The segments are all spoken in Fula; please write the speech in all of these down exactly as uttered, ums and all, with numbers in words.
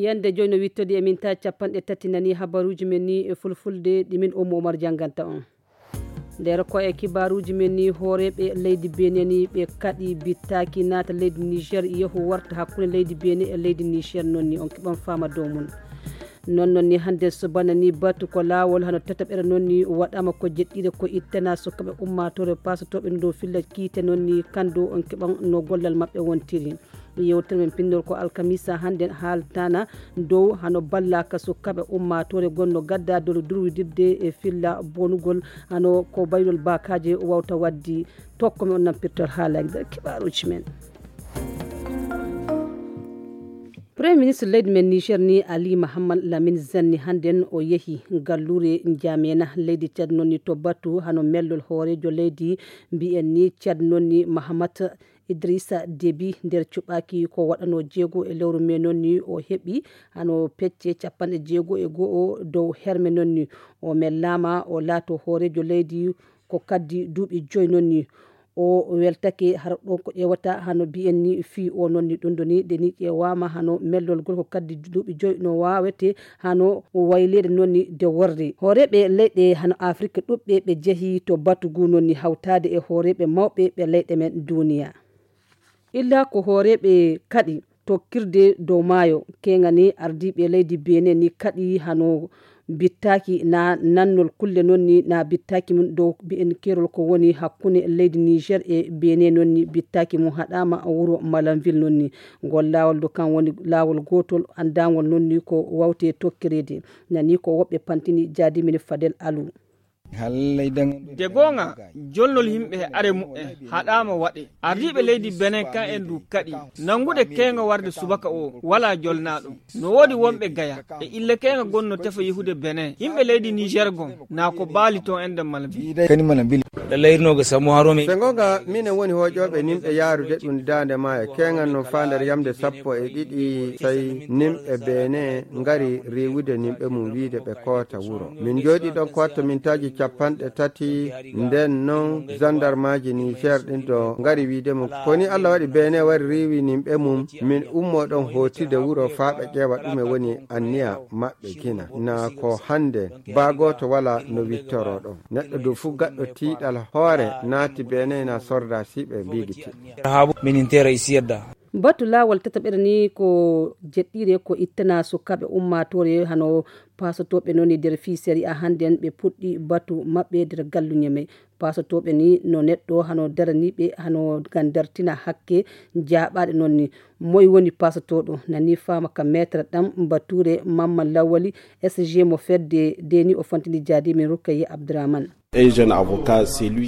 Ende joyi no wittodi e minta capanɗe tati nani habaruuji men ni e fulfulde ɗi min Ummu Umar jannganta on. Nder ko e kibaaruuji men ni, hooreeɓe leydi Benin ni ɓe kaɗi bittaaki naata leydi Niger, yehu warta hakkunde leydi Benin e leydi Niger. Noon ni on keɓan faama dow mum. Noon noon ni hannde subana ni batu ko laawol hano tataɓere noon ni waɗaama ko jeɗɗire ko ittana sukaaɓe ummaatoore paasotooɓe no dow filla kiite. Noon ni kanndo on keɓan no gollal maɓɓe wontiri. Yewtere men pinndol ko alkamisa hannde haaltana dow hano ballaka sukaaɓe ummaatoore gonno gadda dolo durwidirde e filla bonugol hano ko baylol bakaaje wawta waddi. Tokko mi on nampirtol haalaji nder kibaaruuji men. Premier ministre leydi men Niger ni Ali Mahamad Lamin Zanni hannden o yehi galluure Njamena leydi Tchad noon ni to batu hano mellol hooreejo leydi mbiyen ni Tchad noon ni Mahamat Idrissa Déby nder cuɓaaki ko waɗano jeego e lewru me noon ni o heɓi hano pecce capanɗe jeego e go'o dow herme noon ni o mellaama o laato hooreejo leydi ko kaddi duuɓi joyi noon ni o weltake hara ɗon ko ƴeewata hano mbiyen ni fii o noon ni ɗum ɗo ni nde ni ƴeewaama hano mellol gol ko kaddi duuɓi joyi no waawete hano wayleede noon ni nde worri hooreeɓe leyɗe hano Afrik ɗuɓɓe ɓe jehi to batu ngu noon ni hawtaade e hooreeɓe mawɓe ɓe leyɗe men duniya. Illa ko hooreeɓe kaɗi tokkirde dow maayo keŋani ardiiɓe leydi Benin ni kaɗi hano bittaaki na nannol kulle noon ni na bittaaki mum dow mbiyen kerol ko woni hakkunde leydi Niger e Benin noon ni bittaaki mum haɗaama wuro Malanville noon ni ngol laawol do kan woni laawol gootol anndangol noon ni ko wawte tokkireede nani ko woɓɓe pantini jaadi min Fadel Alou. De goonga jolnol yimɓe he are muɓɓen haɗaama waɗe. Ardiiɓe leydi Benin kan en du kaɗi nanngude keeŋa warde subaka o walaa jolnaaɗo. No woodi wonɓe gaya e ille keeŋa gonno tefa yehude Benin yimɓe leydi Niger gon na ko baali toon en nder Malbi. Kadi mana bili. Ɗa layrinoga samu harome. Ɓe gonga minen woni hoƴooɓe nimɓe yaarude ɗum daande maayo keeŋan no faa nder yamde sappo e ɗiɗi sey nimɓe Benin ngari riiwude nimɓe mum wiide ɓe koota wuro. Min njooɗii ɗon ko watta mintaaji capanɗe tati nden non zandarmaaji Niger ɗin do ngari wiide mum ko ni Allah waɗi Benin wari riiwi nimɓe mum min ummoo ɗon hootirde wuro faa ɓe ƴeewa ɗume woni anniya maɓɓe gina na ko hannde baa gooto walaa no wittoroo ɗon. Neɗɗo du fuu gaɗɗo tiiɗal hoore naati Benin na sordaasiiɓe mbiigiti. Batu laawol tataɓere ni ko jeɗɗire ko ittana sukaaɓe ummaatoore hano paasotooɓe noon e nder fii sariya hannden ɓe puɗɗi batu maɓɓe nder galluñe may. Paasotooɓe ni no neɗɗo hano daraniiɓe hano ngam dartina hakke jaaɓaaɗe noon ni. Moy woni paasotooɗo? Nani faama ka meetre ɗam batuure Mamman Lawali S G mo fedde deni o fantini jaadi min Rukayya Abdurahman.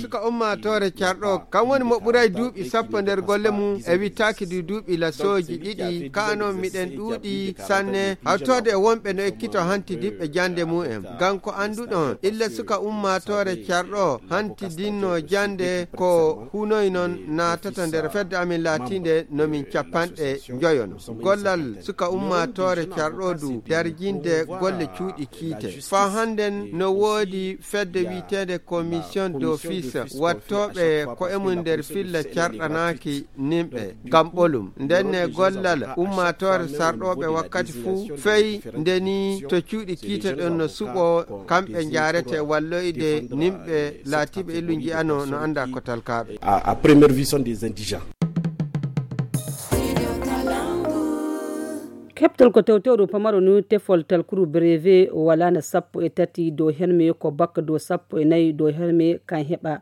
Suka ummaatoore carɗo kam woni mo ɓuray duuɓi sappo nder golle mum e wittaaki du duuɓi lasooji ɗiɗi kaa noon miɗen ɗuuɗi sanne hawtoode e wonɓe no ekkito hantidiɓɓe jannde mum en ngam ko annduɗon illa suka ummaatoore carɗo hantidinno jannde ko hunoy noon naatata nder fedde amin laatiinde no min capanɗe njoyono gollal suka ummaatoore carɗo du darjinde golle cuuɗi kiite faa hannden no woodi fedde wiyeteende commission d'office wattooɓe ko e mum nder filla carɗanaaki nimɓe ngam ɓolum ndenne gollal ummaatoore sarɗooɓe wakkati fuu fey ndeni to cuuɗi kiite ɗon no suɓoo kamɓe njaarete walloyde nimɓe laatiiɓe illu nji'ano no annda ko talkaaɓe. À première vue sont des indigents. Keɓtol ko tewtewru pamaro ni tefol talkuru brevet walaana sappo e tati dow herme ko bakka dow sappo e nayi dow herme kan heɓa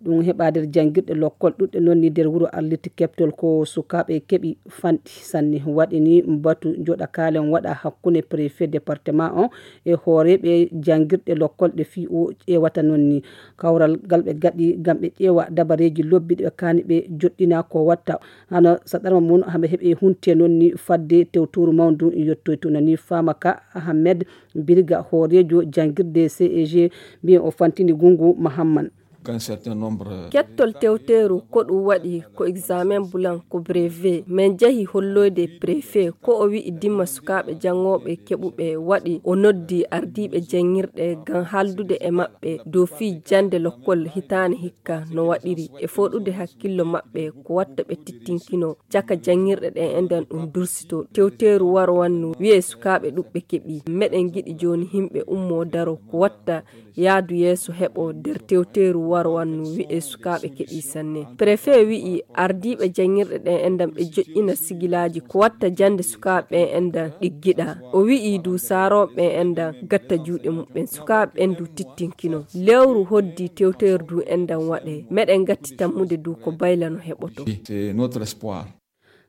ɗum heɓa nder janngirɗe lokkol ɗuɗɗe noon ni nder wuro arliti keɓtol ko sukaaɓe keɓi fanɗi sanne waɗi ni batu joɗa kaalen waɗa hakkunde préfet département on e hooreeɓe janngirɗe lokkol ɗe fii o ƴeewata noon ni kawral ngal ɓe gaɗi ngam ɓe ƴeewa dabareeji lobbi ɗi ɓe kaani ɓe joɗɗina ko watta hano saɗarma mum haɓe heɓe hunte noon ni fadde tewtooru mawndu yettoy tuna ni faama ka ahamed birga hooreejo janngirde ceg mbiyen o fantini gungu mahamman. Kettol tewteeru ko ɗum waɗi ko examen bulan ko brevet. Min njahi holloyde préfet ko o wi'i dimma sukaaɓe janngooɓe keɓuɓe waɗi o noddi ardiiɓe janngirɗe ngam haaldude e maɓɓe dow fii jannde lokkol hitaande hikka no waɗiri e fooɗude hakkillo maɓɓe ko watta ɓe tittinkino caka janngirɗe ɗen e nden ɗum dursito. Tewteeru waro wannu wi'e sukaaɓe ɗuɓɓe keɓi. Meɗen ngiɗi jooni yimɓe ummoo daro ko watta yaadu yeeso heɓo nder tewteeru waro wannu wi'e sukaaɓe keɓi sanne. Préfet wi'i ardiiɓe janngirɗe ɗen e nden ɓe joƴƴina sigilaaji ko watta jannde sukaaɓe ɓen e nden ɗiggiɗa. O wi'i du saarooɓe ɓen e nden gatta juuɗe muɓɓen sukaaɓe ɓen du tittinkino. Lewru hoddi tewteeru du e nden waɗe. Meɗen gatti tammude du ko baylano heɓoto.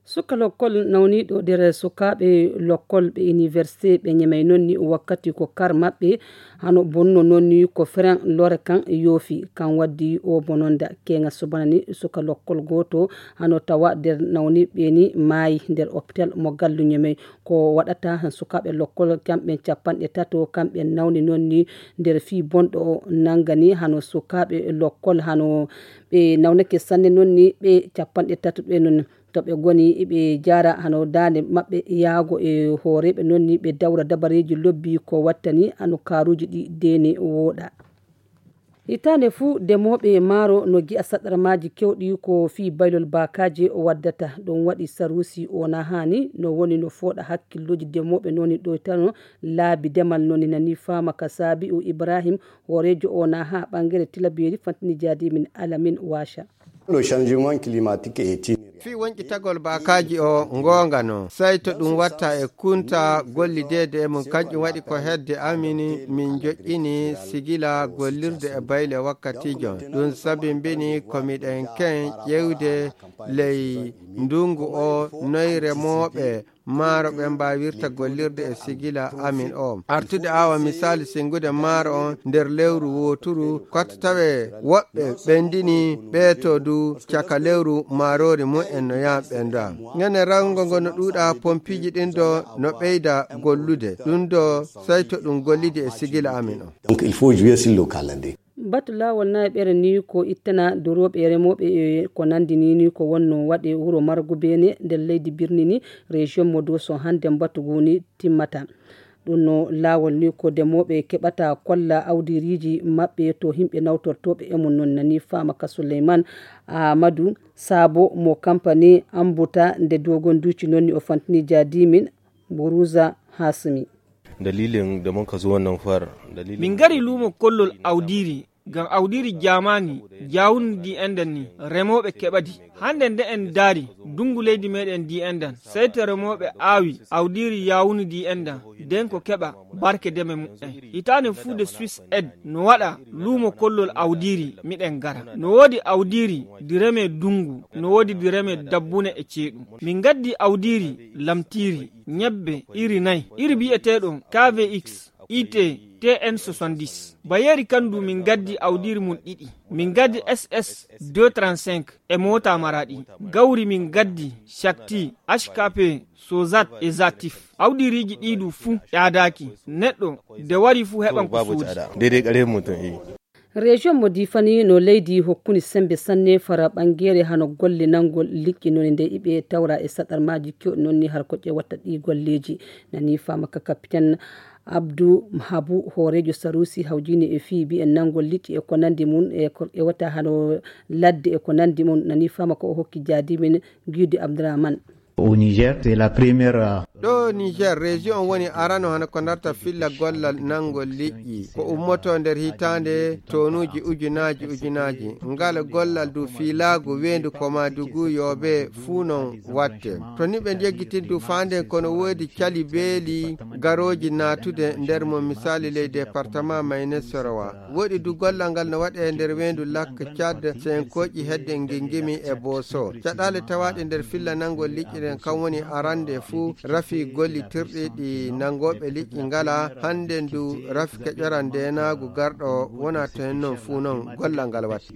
Suka lokkol nawniiɗo nder sukaaɓe lokkol ɓe iniwersite ɓe ñemay noon ni wakkati ko kar maɓɓe hano bonno noon ni ko feren lore kan yoofi kan waddi o bononda keŋa subana ni suka lokkol gooto hano tawa nder nawniiɓe ni maayi nder opital mo gallu ñemay ko waɗata sukaaɓe lokkol kamɓe capanɗe tato kamɓe nawni noon ni nder fii bonɗo o nangani hano sukaaɓe lokkol hano ɓe nawnake sanne noon ni ɓe capanɗe tato ɓe noon to ɓe ngoni ɓe jaara hano daande maɓɓe yaago e hooreeɓe noon ni ɓe dawra dabareeji lobbi ko wattani hano kaaruuji ɗi deene wooɗa. Hitaande fuu demooɓe maaro no gi'a saɗarmaaji kewɗi ko fii baylol baakaaji o waddata ɗum waɗi saruusi o na haani no woni no fooɗa hakkillooji demooɓe noon ni ɗoytano laabi demal noon ni nani faama ka saabi o ibrahim hooreejo o na haa ɓangere tilabeeri fantini jaadi min alamin waaca. Le changement climatique est itinéraire. Fii woñƴitagol baakaaji o ngoonga no sayto ɗum watta e kunta gollideede e mum kanƴum waɗi ko hedde amin min joƴƴini sigila gollirde e bayle wakkatiijo ɗum sabimbini ko miɗen ken ƴewde ley ndungu o noy remooɓe maaro ɓe mbaawirta gollirde e sigila amin o artude awa misaali singude maaro on nder lewru wooturu kotta tawe woɓɓe ɓendini ɓeeto du caka lewru maaroori mumen no yaha ɓenda ngene rawngo ngo no ɗuuɗa pompiiji ɗin do no ɓeyda gollude ɗum do sayto ɗum gollidi e sigila amin o. Donc il faut jouer sur le calendrier. Batu laawol nayaɓere ni ko ittana durooɓe e remooɓe e ko nandi ni ni ko wonno waɗe wuro margu beene nder leydi birni ni région mo doso hannde mbatu ngu ni timmata ɗum no laawol ni ko demooɓe keɓata kolla awdiriiji maɓɓe to yimɓe nawtortooɓe e mum noon nani faama ka souleyman amadou saabo mo kampani ambuta nde dogon duuci noon ni o fantini jaadimin buruza hasmi. Dalilin da muka zo wannan far dalilin min ngari luumo kollol awdiiri ngam awdiiri jaamaani jaawundi ndi enɗan ni remooɓe keɓadi hannde nde en ndaari ndunngu leydi meeɗen ndi enɗan sey to remooɓe aawi awdiiri yaawundi ndi enɗan nden ko keɓa barke deme muɓɓen hitaande fuu de suisse ed no waɗa luumo kollol awdiiri miɗen ngara no woodi awdiiri ndi remee ndunngu no woodi ndi remee dabbune e ceeɗu min ngaddi awdiiri lamtiiri ñebbe iri nayi iri biyeteeɗo kvx it tn soixante-dix bayeeri kan du min ngaddi awdiiri mum ɗiɗi min ngaddi ss deux trente-cinq e moota maraɗi gawri min ngaddi shakti hkp sozat e zatif awdiiriiji ɗii du fuu ƴaadaaki neɗɗo nde wari fuu heɓan ko soodi. Région mo difani no leydi hokkuni sembe sanne fara ɓangere hano golle nangol liƴƴi noni nde iɓe tawra e saɗarmaji kewɗi nonni har ko ƴewata ɗi golleji nani fama ka capitaine abdou habu hoorejo sarusi hawjini e fii mbiyen nangol liƴƴi e ko nandi mum e ko ƴewata hano ladde e ko nandi mum nani fama ko o hokki jaadimin guide abdourahmane. Au niger c'est la première. Ɗo niger région on woni arano hano ko darta filla gollal nanngol liƴƴi ko ummoto nder hitaande tonuuji ujunaji ujunaji ngal gollal du fiilaagu weendu koma dugu yoobe fuu non watte to niɓe njeggitin du faanden kono woodi cali beeli garooji naatude nder mum misaali ley département maynes sorowa woɗi du gollal ngal no waɗe nder weendu lakka cad senkoƴi hedde ngingimi e booso caɗaale tawaaɗe nder filla nanngol liƴƴi ɗen kam woni arande fuu rafi gollitirɗi ɗi nanngooɓe liƴƴi ngala hannde ndu rafi keƴoran ndeenaagu garɗo wona to hen non fuu non gollal ngal watta.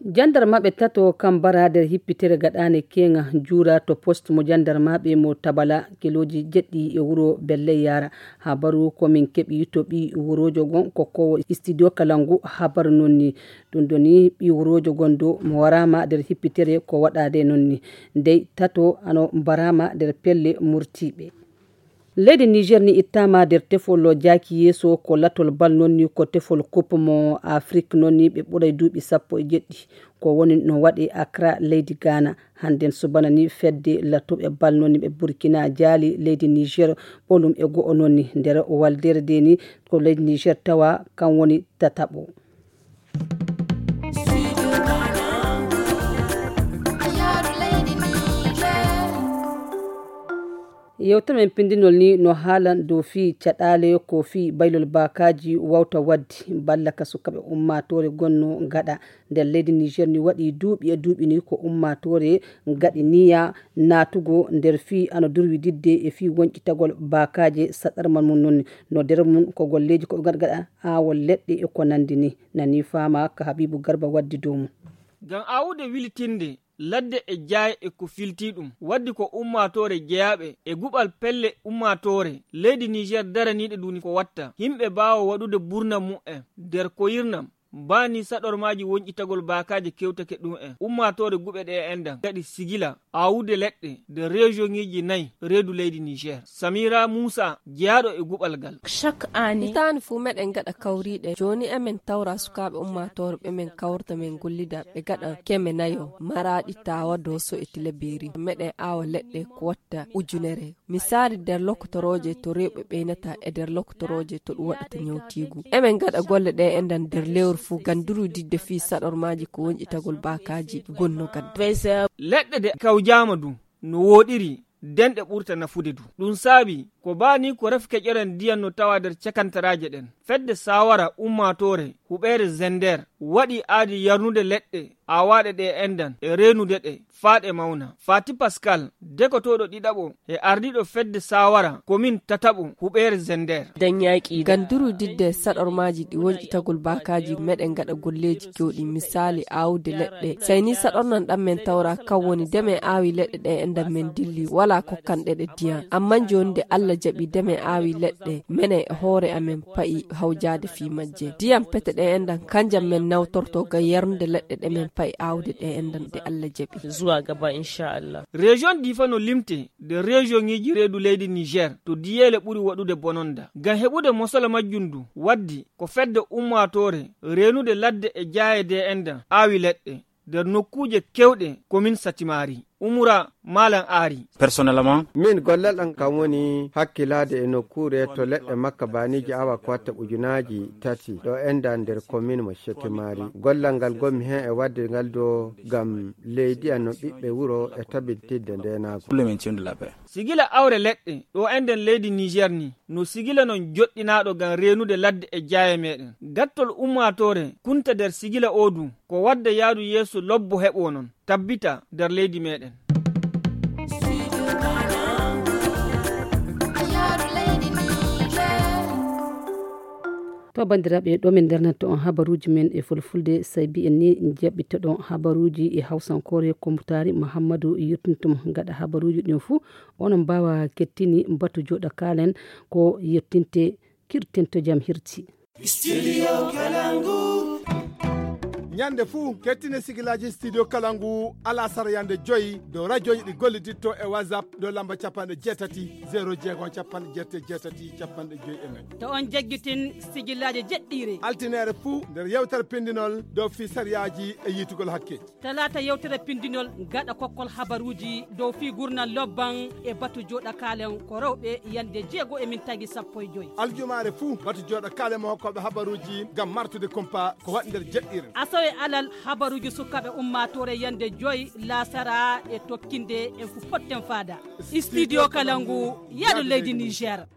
Jandarmaaɓe tato kam mbara nder hippitere gaɗaande keeŋa juura to post mo jandarmaaɓe mo Tabala, kilooji jeɗɗi e wuro Belle Yara. Habaru ko min keɓi to ɓii wuroojo gon ko kowo studio Kalangu habaru non ni. Ɗum ɗo ni ɓii wuroojo gon ɗo mo waraama nder hippitere ko waɗaade non ni. Ndey tato ano mbaraama nder pelle murtiiɓe. Leydi Niger ni ittaama nder tefol jaaki yeeso ko latol bal non ni ko tefol coupe mo Afrique non ni ɓe ɓuray duuɓi sappo e jeɗɗi. Ko woni no waɗi Accra leydi Ghana. Hannden subana ni fedde lattuɓe bal non ni ɓe Burkina jaali leydi Niger ɓolum e go'o non ni nder waldere de ni ko leydi Niger tawa kan woni tataɓo. Yewtere men pindinol ni no haalan dow fii caɗaale ko fii baylol baakaaji wawta waddi balla ka sukaaɓe ummaatoore gonno gaɗa nder leydi Niger ni waɗi duuɓi e duuɓi ni ko ummaatoore gaɗi niya naatugo nder fii ano durwididde e fii wonƴitagol baakaaje saɗarmal mum non no nder mum ko golleeji ko ɓe gaɗa gaɗa aawol leɗɗe e ko nandi ni nani faama ka Habibu Garba waddi dow mum. Ngam aawude wilitinde ladde e jaaye e ko filtii ɗum. Waddi ko ummaatoore jeyaaɓe e guɓal pelle ummaatoore leydi Niger daraniiɗe ɗum ko watta. Yimɓe mbaawa waɗude burnam mu'en nder koyirnam. Mbaani saɗormaaji wonƴitagol baakaaje kewtake ɗum en. Ummaatoore guɓe ɗe enɗan. Kadi sigila aawude leɗɗe nder rejoŋiiji nayi reedu leydi Niger. Samira Musa jeyaaɗo e guɓal ngal. Chaque année. Hitaande fuu meɗen ngaɗa kawriiɗe. Jooni emen tawra sukaaɓe ummaatoore ɓe men kawrta men gollida ɓe ngaɗa keme nayo, Maraaɗi, Taawa, Dooso e Tilaberi. Meɗen aawa leɗɗe ko watta ujunere. Misaali nder lokotorooje to rewɓe ɓeynata e nder lokotorooje to ɗum waɗata ñawtiigu. Emen ngaɗa golle ɗe enɗan nder lewru fuu ngam durwididde fii saɗormaaji ko wonƴitagol baakaaji gonno gadda. Leɗɗe de kawjaama du no wooɗiri denɗe ɓurta nafude du. Ɗum saabi ko baani ko rafi keƴoren ndiyam no tawa nder cakantaraaje ɗen. Fedde saawara ummaatoore huɓeere Zender waɗi aadi yarnude leɗɗe aawaaɗe ɗe enɗan e reenude ɗe faa ɗe mawna. Fati Pascal, dekotooɗo ɗiɗaɓo e ardiiɗo fedde saawara komin tataɓo huɓeere Zender. Dañaaki ngam durwididde saɗormaaji ɗi wonƴitagol baakaaji meɗen ngaɗa golleeji kewɗi, misaali aawde leɗɗe. Sey ni saɗornan ɗan men tawra kan woni de men aawi leɗɗe ɗe enɗan men dilli, walaa kokkanɗe ɗe ndiyam. Ammaa jooni nde Alla jaɓi de men aawi leɗɗe, menen e hoore amen pa'i hawjaade fii majje. Ndiyam pete ɗe enɗan kanjam men nawtorto ngam yarnude leɗɗe ɗe men pa'i aawde ɗe enɗan nde Alla jaɓi. Zuwa gaba, insha Allah. Région Difa no limte nder rejoŋiiji reedu leydi Niger to diyeele ɓuri waɗude bononda. Ngam heɓude mosala majjum du waddi ko fedde ummaatoore reenude ladde e jaaye de enɗan aawi leɗɗe nder nokkuuje kewɗe komin Satimari. Umura Malam Ari. Personnellement. Min gollal am kam woni hakkilaade e nokkuure to leɗɗe makka baaniiji awa ko watta ujunaaji tati ɗo enɗan nder komin mo Satimari. Gollal ngal ngonmi heen e waɗde ngal do ngam leydi am no ɓiɓɓe wuro e tabitinde ndeenaagu. Pour le maintien de la paix. Sigila awre leɗɗe ɗo enɗan leydi Niger ni no sigila non joɗɗinaaɗo ngam reenude ladde e jaaye meɗen. Gattol ummaatoore kunta nder sigila o du ko wadda yaadu yeeso lobbo heɓo non tabbita nder leydi meɗen. To banndiraaɓe, ɗo min ndernanto on habaruuji men e fulfulde, sey mbiyen ni jaɓɓitoɗon habaruuji e hawsankoore ko Mutaari Muhammadu yottintum. Gaɗa habaruuji ɗin fuu, onon mbaawa kettini batu jooɗa kaalen ko yettinte kirtento jam hirti. Studio Kalangu. Ñande fuu, kettine sigilaaji Studio Kalangu alasara yande joyi dow rajooji ɗi golliditto e WhatsApp dow lamba capanɗe jeetati, zero jeego, capanɗe jeetati, capanɗe joyi e nayi. To on jaggitin sigilaaji jeɗɗiire. Altineere fuu nder yewtere pindinol dow fii sariyaaji e yiitugol hakke. Talaata yewtere pindinol gaɗa kokkol habaruuji dow fii gurnal lobban e batu jooɗa kaalen ko rewɓe yande jeego e min tagi sappo e joyi. Aljumaare fuu batu jooɗa kaalen mo hokkooɓe habaruuji ngam martude kumpa ko waɗi nder jeɗɗiire. Asawe alal habaruuji sukaaɓe ummaatoore yande joyi laasara e tokkinde en fu potten faada. Studio Kalangu, yaadu leydi Niger.